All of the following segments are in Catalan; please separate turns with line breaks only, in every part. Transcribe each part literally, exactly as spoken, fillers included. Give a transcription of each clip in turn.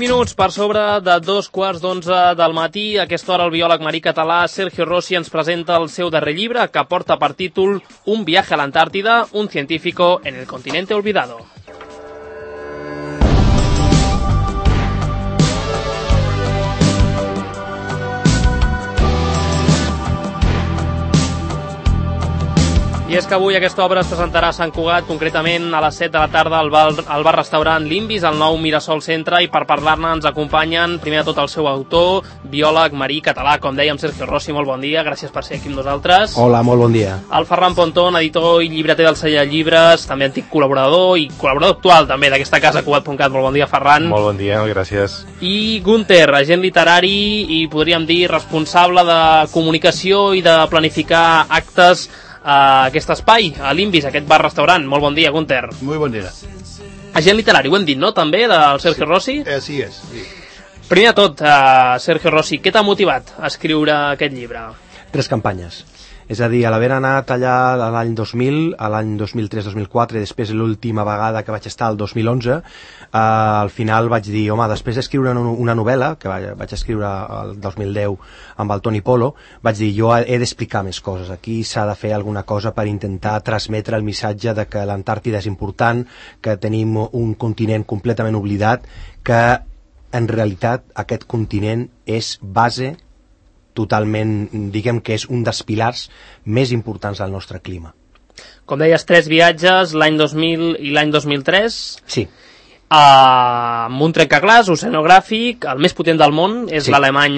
cinc minuts per sobre de dos quarts d'onze del matí. A aquesta hora el biòleg marí català Sergio Rossi ens presenta el seu darrer llibre, que porta per títol Un viaje a l'Antàrtida, un científico en el continente olvidado. I és que avui aquesta obra es presentarà a Sant Cugat, concretament a les set de la tarda al bar, al bar-restaurant Limbis, al nou Mirasol Centre, i per parlar-ne ens acompanyen, primer de tot, el seu autor, biòleg marí català, com dèiem, Sergio Rossi. Molt bon dia, gràcies per ser aquí amb nosaltres.
Hola, molt bon dia.
El Ferran Pontón, editor i llibreter del Celler de Llibres, també antic col·laborador i col·laborador actual també d'aquesta casa, cugat punt cat. Molt bon dia, Ferran.
Molt bon dia, gràcies.
I Gunther, agent literari i, podríem dir, responsable de comunicació i de planificar actes a aquest espai, a l'Imbis, aquest bar-restaurant. Molt bon dia, Gunther.
Muy bon dia.
Agent literari, ho hem dit, no?, també, del Sergio Rossi?
Així és, sí.
Primer de tot, uh, Sergio Rossi, què t'ha motivat a escriure aquest llibre?
Tres campanyes. És a dir, a l'haver anat allà l'any dos mil, a l'any dos mil tres dos mil quatre, i després l'última vegada que vaig estar el dos mil onze, eh, al final vaig dir, home, després d'escriure una novel·la, que vaig, vaig escriure el dos mil deu amb el Toni Polo, vaig dir, jo he d'explicar més coses. Aquí s'ha de fer alguna cosa per intentar transmetre el missatge de que l'Antàrtida és important, que tenim un continent completament oblidat, que en realitat aquest continent és base totalment, diguem que és un dels pilars més importants del nostre clima.
Com deies, tres viatges, l'any dos mil i l'any dos mil tres.
Sí.
Uh, amb un trencaclàs oceanogràfic, el més potent del món, és sí. L'alemany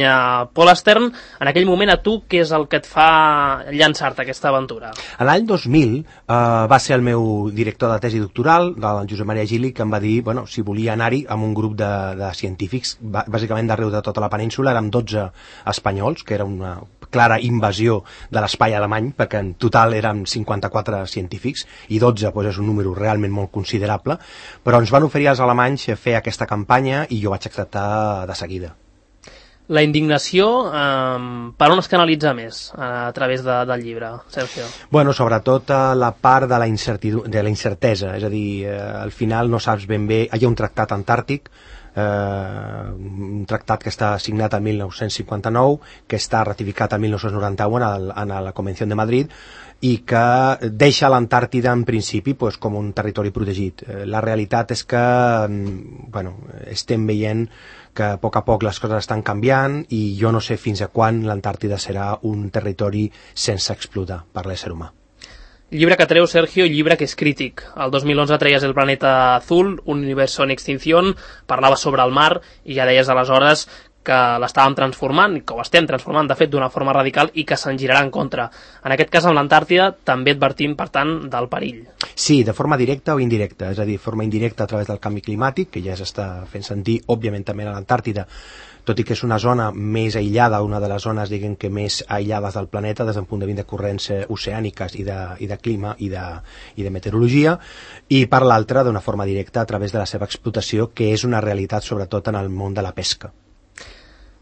Polarstern. En aquell moment, a tu, què és el que et fa llançar-te aquesta aventura?
L'any dos mil uh, va ser el meu director de tesi doctoral, del Josep Maria Gili, que em va dir, bueno, si volia anar-hi amb un grup de, de científics, bàsicament d'arreu de tota la península, érem dotze espanyols, que era una clara invasió de l'espai alemany, perquè en total érem cinquanta-quatre científics, i dotze doncs, és un número realment molt considerable, però ens van oferir als alemanys fer aquesta campanya i jo vaig acceptar de seguida.
La indignació, eh, per on es canalitza més a través de, del llibre, Sergio?
Bueno, sobretot la part de la, de la incertesa, és a dir, eh, al final no saps ben bé, hi ha un tractat antàrtic, eh, un tractat que està signat el mil nou-cents cinquanta-nou, que està ratificat el mil nou-cents noranta-u en, el, en la Convenció de Madrid, i que deixa l'Antàrtida en principi pues, com un territori protegit. La realitat és que bueno, estem veient que a poc a poc les coses estan canviant i jo no sé fins a quan l'Antàrtida serà un territori sense explotar per l'ésser humà.
Llibre que treu, Sergio, llibre que és crític. El dos mil onze treies El planeta azul, un universo en extinción, parlava sobre el mar i ja deies aleshores que l'estàvem transformant, i que ho estem transformant, de fet, d'una forma radical i que se'n girarà en contra. En aquest cas, amb l'Antàrtida, també advertim, per tant, del perill.
Sí, de forma directa o indirecta, és a dir, de forma indirecta a través del canvi climàtic, que ja s'està fent sentir, òbviament, també a l'Antàrtida, tot i que és una zona més aïllada, una de les zones, diguem que més aïllades del planeta des del punt de vista de corrents oceàniques i de, i de clima i de, i de meteorologia, i per l'altra, d'una forma directa, a través de la seva explotació, que és una realitat, sobretot, en el món de la pesca.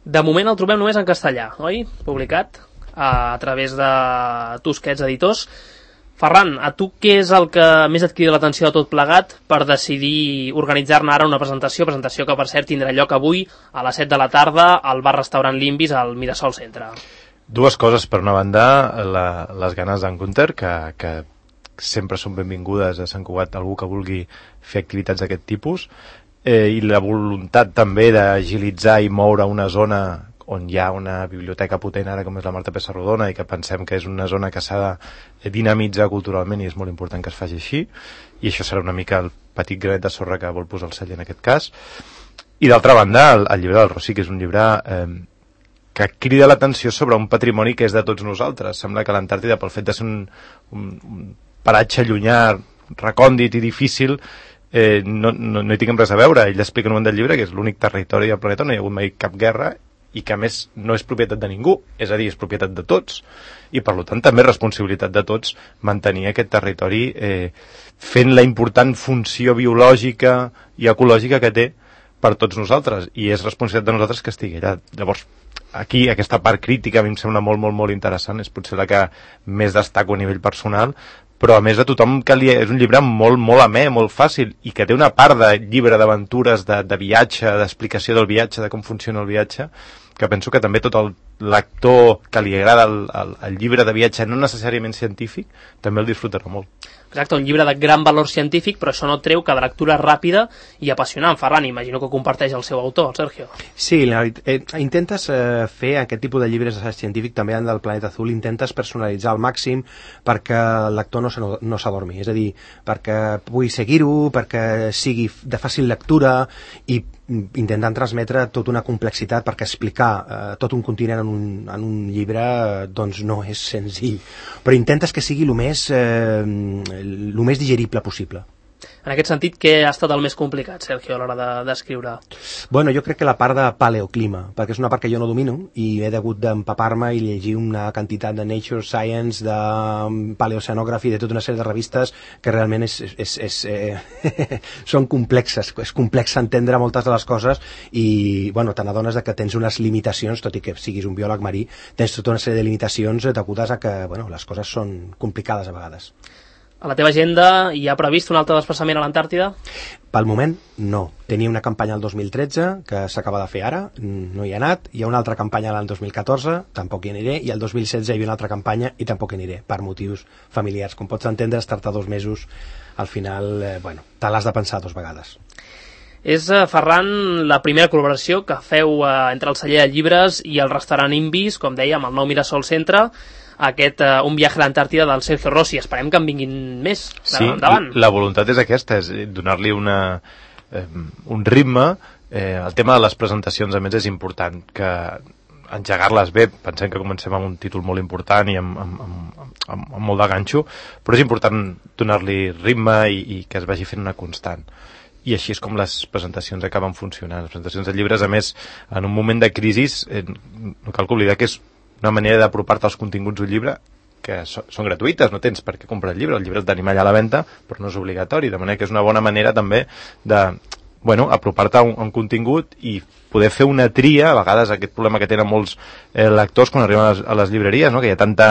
De moment el trobem només en castellà, oi? Publicat a través de Tusquets Editors. Ferran, a tu què és el que més et crida l'atenció de tot plegat per decidir organitzar-ne ara una presentació, presentació que per cert tindrà lloc avui a les set de la tarda al bar-restaurant Limbis al Mirasol Centre?
Dues coses. Per una banda, la, les ganes d'en Gunther, que, que sempre són benvingudes a Sant Cugat algú que vulgui fer activitats d'aquest tipus, Eh, i la voluntat també d'agilitzar i moure una zona on hi ha una biblioteca potent ara com és la Marta Pessarrodona i que pensem que és una zona que s'ha de dinamitzar culturalment i és molt important que es faci així, i això serà una mica el petit granet de sorra que vol posar el celler en aquest cas. I d'altra banda, el, el llibre del Rossi, que és un llibre eh, que crida l'atenció sobre un patrimoni que és de tots nosaltres. Sembla que l'Antàrtida, pel fet de ser un, un, un paratge llunyà, recòndit i difícil, Eh, no, no, no hi tinguem res a veure. Ell explica en un moment del llibre que és l'únic territori del planeta on no hi ha hagut mai cap guerra i que a més no és propietat de ningú, és a dir, és propietat de tots, i per tant també és responsabilitat de tots mantenir aquest territori eh, fent la important funció biològica i ecològica que té per tots nosaltres, i és responsabilitat de nosaltres que estigui allà. Llavors, aquí aquesta part crítica a mi em sembla molt, molt, molt interessant, és potser la que més destaco a nivell personal, però a més a tothom que li... és un llibre molt, molt amè, molt fàcil, i que té una part de llibre d'aventures, de, de viatge, d'explicació del viatge, de com funciona el viatge, que penso que també tot el lector que li agrada el, el, el llibre de viatge no necessàriament científic també el disfrutarà molt.
Exacte, un llibre de gran valor científic, però això no treu que de lectura ràpida i apassionant. Ferran, imagino que comparteix el seu autor, el Sergio.
Sí, la, eh, intentes eh, fer aquest tipus de llibres científic també en del Planeta Azul, intentes personalitzar al màxim perquè el lector no, no s'adormi, és a dir, perquè pugui seguir-ho, perquè sigui de fàcil lectura i intentant transmetre tota una complexitat, perquè explicar eh, tot un continent en un, en un llibre eh, doncs no és senzill, però intentes que sigui el més, eh, el més digerible possible.
En aquest sentit, què ha estat el més complicat, Sergio, a l'hora d'escriure? De,
bueno, jo crec que la part de paleoclima, perquè és una part que jo no domino i he hagut d'empapar-me i llegir una quantitat de Nature, Science, de paleoceanography, de tota una sèrie de revistes que realment és, és, és, eh, són complexes, és complex entendre moltes de les coses i, bueno, te n'adones que tens unes limitacions, tot i que siguis un biòleg marí, tens tota una sèrie de limitacions degudes a que, bueno, les coses són complicades a vegades.
A la teva agenda hi ha previst un altre desplaçament a l'Antàrtida?
Pel moment, no. Tenia una campanya el dos mil tretze, que s'acaba de fer ara, no hi ha anat. Hi ha una altra campanya l'any dos mil catorze, tampoc hi aniré, i el dos mil setze hi havia una altra campanya i tampoc hi aniré, per motius familiars. Com pots entendre, estar-te dos mesos, al final, eh, bueno, te l'has de pensar dos vegades.
És, eh, Ferran, la primera col·laboració que feu eh, entre el celler de llibres i el restaurant Imbis, com dèiem, el nou Mirasol Centre, aquest uh, Un viatge a l'Antàrtida del Sergio Rossi. Esperem que en vinguin més
sí,
endavant.
La voluntat és aquesta, és donar-li una, eh, un ritme. Eh, el tema de les presentacions, a més, és important, que engegar-les bé, pensem que comencem amb un títol molt important i amb, amb, amb, amb, amb molt de ganxo, però és important donar-li ritme i, i que es vagi fent una constant. I així és com les presentacions acaben funcionant. Les presentacions de llibres, a més, en un moment de crisi, eh, no cal oblidar que és una manera d'apropar-te als continguts d'un llibre que so, són gratuïtes, no tens per què comprar el llibre, el llibre el tenim allà a la venda, però no és obligatori, de manera que és una bona manera també de, bueno, apropar-te a un, a un contingut i poder fer una tria, a vegades aquest problema que tenen molts eh, lectors quan arriben a les, a les llibreries, no? Que hi ha tanta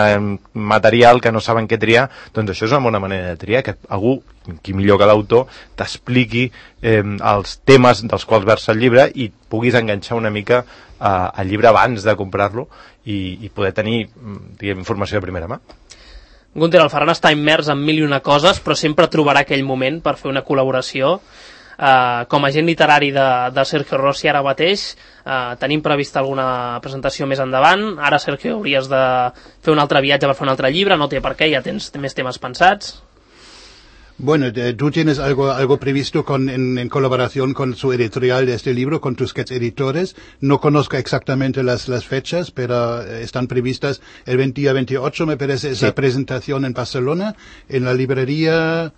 material que no saben què triar, doncs això és una bona manera de triar, que algú, qui millor que l'autor, t'expliqui eh, els temes dels quals versa el llibre i puguis enganxar una mica eh, al llibre abans de comprar-lo i, i poder tenir, diguem, informació de primera mà.
Gunther, el Ferran està immers en mil i una coses, però sempre trobarà aquell moment per fer una col·laboració. Uh, com a agent literari de, de Sergio Rossi ara mateix, uh, tenim prevista alguna presentació més endavant. Ara, Sergio, hauries de fer un altre viatge per fer un altre llibre, no té per què, ja tens més temes pensats.
Bueno, tú tienes algo, algo previsto con, en, en colaboración con su editorial de este libro, con tus editores. No conozco exactamente las, las fechas, pero están previstas el día veintiocho, me parece, esa sí. presentación en Barcelona, en la librería...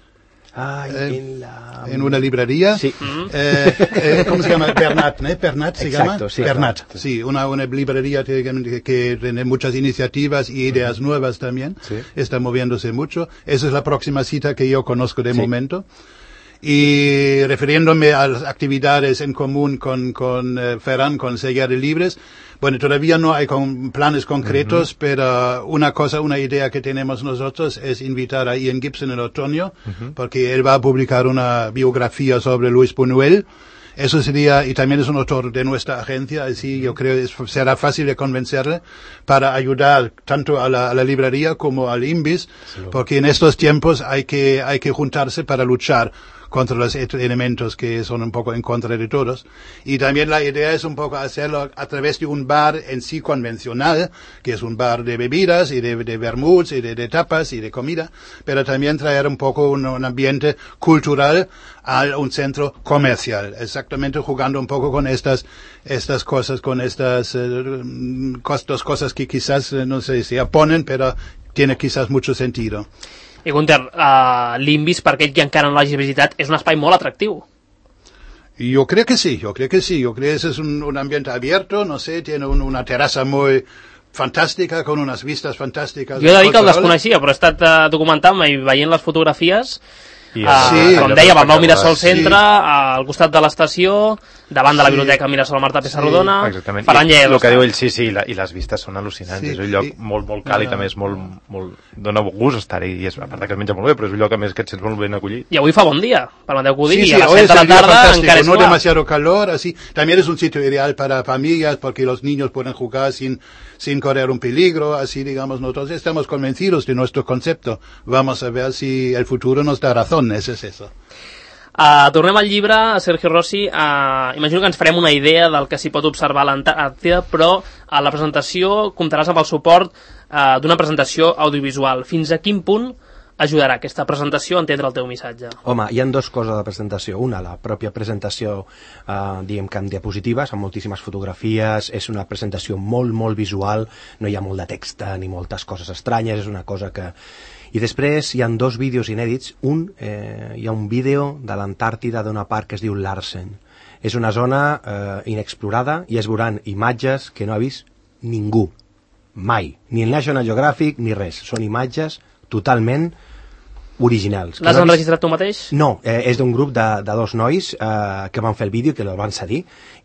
Ay,
eh,
en, la...
en una librería.
Sí.
Eh, eh, ¿Cómo se llama? Bernat, ¿no? Bernat se
Exacto,
llama.
Sí,
Bernat,
claro.
sí, una, una librería que, que tiene muchas iniciativas y ideas uh-huh. nuevas también.
Sí.
Está moviéndose mucho. Esa es la próxima cita que yo conozco de
sí.
momento. Y refiriéndome a las actividades en común con, con eh, Ferran, con Sellar de Libres, bueno, todavía no hay con planes concretos, uh-huh. pero una cosa, una idea que tenemos nosotros es invitar a Ian Gibson en otoño, uh-huh. porque él va a publicar una biografía sobre Luis Buñuel. Eso sería, y también es un autor de nuestra agencia, así yo creo que será fácil de convencerle para ayudar tanto a la, a la librería como al Imbis, sí. porque en estos tiempos hay que, hay que juntarse para luchar contra los elementos que son un poco en contra de todos. Y también la idea es un poco hacerlo a través de un bar en sí convencional, que es un bar de bebidas y de, de vermuts y de, de tapas y de comida, pero también traer un poco un, un ambiente cultural a un centro comercial, exactamente jugando un poco con estas, estas cosas, con estas eh, dos cosas que quizás, no sé si oponen, pero tiene quizás mucho sentido.
I Gunther, uh, l'Imbis, per aquell que encara no l'hagi visitat, és un espai molt atractiu.
Yo creo que sí, yo creo que sí. Yo creo que ese es un, un ambiente abierto, no sé, tiene un, una terraza muy fantàstica, con unes vistes fantàstiques.
Jo he de dir que el desconeixia, però he estat uh, documentant-me i veient les fotografies
I
uh,
sí,
com dèiem, al nou Mirasol
sí.
Centre, al costat de l'estació, davant de la biblioteca Mirasol Marta Pessarrodona.
Sí, exactament.
Ferran
I el
Lledos.
que diu ell, sí, sí, i, la, i les vistes són al·lucinants.
Sí,
És un lloc
i-
molt, molt càlid,
no.
a més, molt, molt... dona gust estar-hi, i és, a part que es menja molt bé, però és un lloc a més que et sents molt ben acollit.
I avui fa bon dia, permeteu que ho digui,
Sí, sí,
a les
hoy
set
es
de la
el día
tarda
fantástico,
encara és
no
clar.
demasiado calor, así. También es un sitio ideal para familias porque los niños pueden jugar sin, sin correr un peligro, así digamos, nosotros estamos convencidos de nuestro concepto. Vamos a ver si el futuro nos da razón, eso es eso.
Uh, tornem al llibre, Sergio Rossi. Uh, imagino que ens farem una idea del que s'hi pot observar a l'Antàrtida, però a la presentació comptaràs amb el suport uh, d'una presentació audiovisual. Fins a quin punt ajudarà aquesta presentació a entendre el teu missatge?
Home, hi ha dues coses de presentació. Una, la pròpia presentació, eh, diguem que amb diapositives, amb moltíssimes fotografies, és una presentació molt, molt visual, no hi ha molt de text ni moltes coses estranyes, és una cosa que... I després hi ha dos vídeos inèdits. Un, eh, hi ha un vídeo de l'Antàrtida d'una part que es diu Larsen. És una zona eh, inexplorada i es veuran imatges que no ha vist ningú, mai. Ni el National Geographic ni res. Són imatges totalment originals.
L'has
no
enregistrat tu mateix?
No, eh, és d'un grup de, de dos nois eh, que van fer el vídeo, que el van cedir,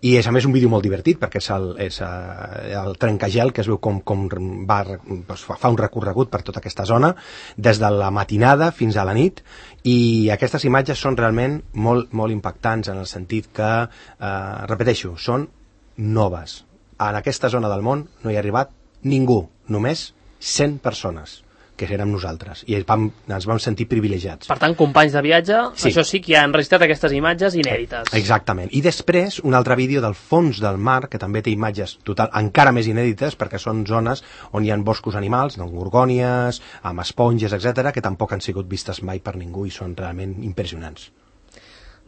i és a més un vídeo molt divertit perquè és el, és, eh, el trencagel que es veu com, com va, doncs, fa un recorregut per tota aquesta zona des de la matinada fins a la nit, i aquestes imatges són realment molt, molt impactants en el sentit que, eh, repeteixo, són noves. En aquesta zona del món no hi ha arribat ningú, només cent persones, que érem nosaltres, i vam, ens vam sentir privilegiats.
Per tant, companys de viatge,
Sí.
això sí que ja han enregistrat aquestes imatges inèdites.
Exactament. I després, un altre vídeo del fons del mar, que també té imatges total, encara més inèdites, perquè són zones on hi ha boscos animals, doncs gorgònies, amb esponges, etcètera, que tampoc han sigut vistes mai per ningú i són realment impressionants.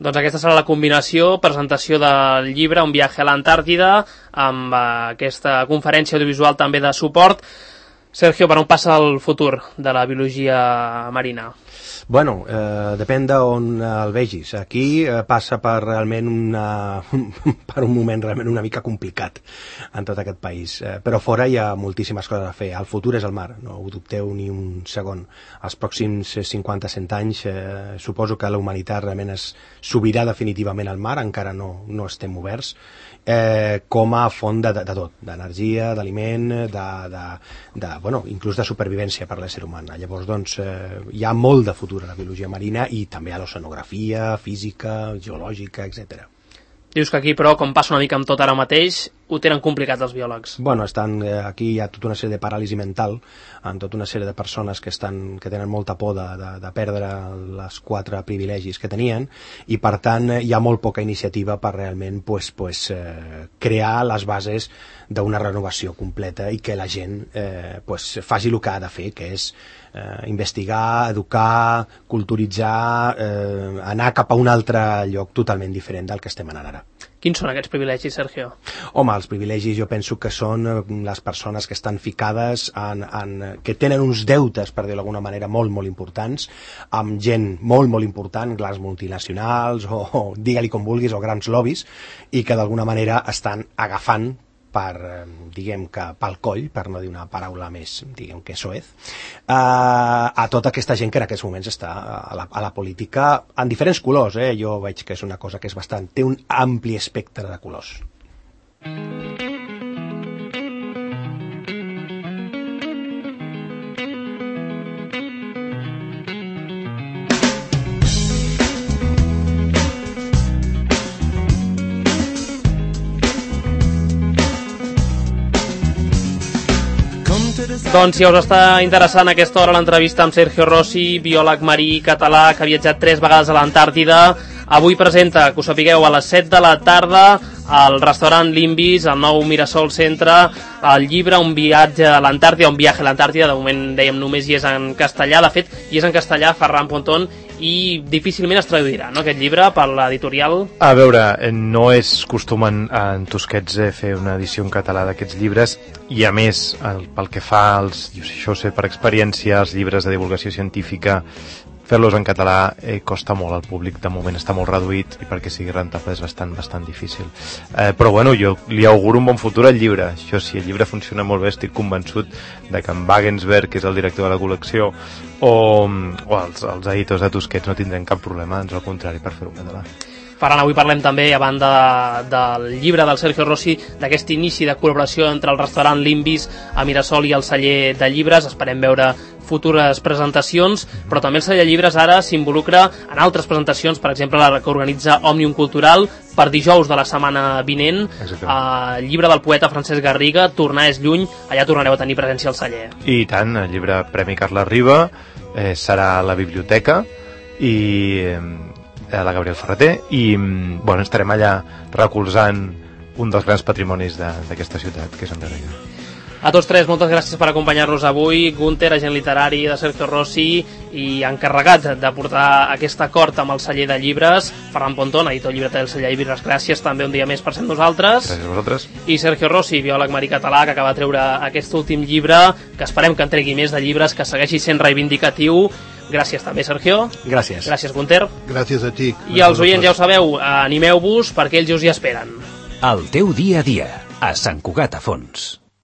Doncs aquesta serà la combinació, presentació del llibre Un viatge a l'Antàrtida, amb eh, aquesta conferència audiovisual també de suport. Sergio, per on passa el futur de la biologia marina?
Bueno, eh, depèn d'on el vegis. Aquí eh, passa per realment una, per un moment realment una mica complicat en tot aquest país. Eh, però fora hi ha moltíssimes coses a fer. El futur és el mar, no ho dubteu ni un segon. Els pròxims cinquanta a cent anys eh, suposo que la humanitat realment es subirà definitivament al mar, encara no, no estem oberts, eh, com a font de, de, de tot, d'energia, d'aliment, de, de, de, bueno, inclús de supervivència per l'ésser humà. Llavors, doncs, eh, hi ha molt de futur a la biologia marina i també a l'oceanografia, física, geològica, etcètera.
Dius que aquí, però, com passa una mica amb tot ara mateix, ho tenen complicat els biòlegs.
Bueno, estan, eh, aquí hi ha tota una sèrie de paràlisi mental en tota una sèrie de persones que, estan, que tenen molta por de, de, de perdre les quatre privilegis que tenien, i per tant hi ha molt poca iniciativa per realment pues, pues, eh, crear les bases d'una renovació completa i que la gent eh, pues, faci el que ha de fer, que és eh, investigar, educar, culturitzar, eh, anar cap a un altre lloc totalment diferent del que estem anant ara.
Quins són aquests privilegis, Sergio?
Home, els privilegis jo penso que són les persones que estan ficades en, en, que tenen uns deutes, per dir-ho d'alguna manera, molt, molt importants, amb gent molt, molt important, grans multinacionals, o, o digue-li com vulguis, o grans lobbies, i que d'alguna manera estan agafant per, diguem que pel coll, per no dir una paraula més, diguem que soez, eh, a tota aquesta gent que en aquests moments està a la, a la política en diferents colors, eh? Jo veig que és una cosa que és bastant, té un ampli espectre de colors.
Doncs si us està interessant a aquesta hora l'entrevista amb Sergio Rossi, biòleg marí català que ha viatjat tres vegades a l'Antàrtida, avui presenta, que ho sapigueu, a les set de la tarda al restaurant Limbis, al nou Mirasol Centre, el llibre Un viatge a l'Antàrtida, Un viatge a l'Antàrtida, de moment dèiem només hi és en castellà, de fet hi és en castellà, Ferran Pontón, i difícilment es traduirà, no, aquest llibre, per l'editorial?
A veure, no és costum en, en Tusquets eh, fer una edició en català d'aquests llibres, i a més, el, pel que fa als, jo, això ho sé per experiència, els llibres de divulgació científica fer-los en català eh, costa molt, el públic de moment està molt reduït i perquè sigui rentable és bastant, bastant difícil. Eh, però bueno, jo li auguro un bon futur al llibre. Això, si el llibre funciona molt bé, estic convençut de que en Wagensberg, que és el director de la col·lecció, o, o els, els editors de Tusquets no tindrem cap problema, ans al contrari, per fer-ho en català.
Ferran, avui parlem també, a banda del llibre del Sergio Rossi, d'aquest inici de col·laboració entre el restaurant Limbis a Mirasol i el celler de llibres. Esperem veure futures presentacions, però també el celler de llibres ara s'involucra en altres presentacions, per exemple la que organitza Òmnium Cultural per dijous de la setmana vinent, el llibre del poeta Francesc Garriga, Tornar és lluny, allà tornareu a tenir presència al celler.
I tant, el llibre Premi Carles Riba eh, serà a la biblioteca i eh, a la Gabriel Ferreter i bueno, estarem allà recolzant un dels grans patrimonis d'aquesta ciutat, que és en Garriga.
A tots tres, moltes gràcies per acompanyar-nos avui. Gunter, agent literari de Sergio Rossi i encarregat de portar aquest acord amb el celler de llibres, Ferran Pontón, editor llibreter del celler de llibres, gràcies també un dia més per ser amb nosaltres.
Gràcies a vosaltres.
I Sergio Rossi, biòleg americatalà, que acaba de treure aquest últim llibre, que esperem que en tregui més de llibres, que segueixi sent reivindicatiu. Gràcies també, Sergio.
Gràcies.
Gràcies, Gunter.
Gràcies a ti.
I els oients, ja ho sabeu, animeu-vos perquè ells us hi esperen.
El teu dia a dia, a Sant Cugat a Fons.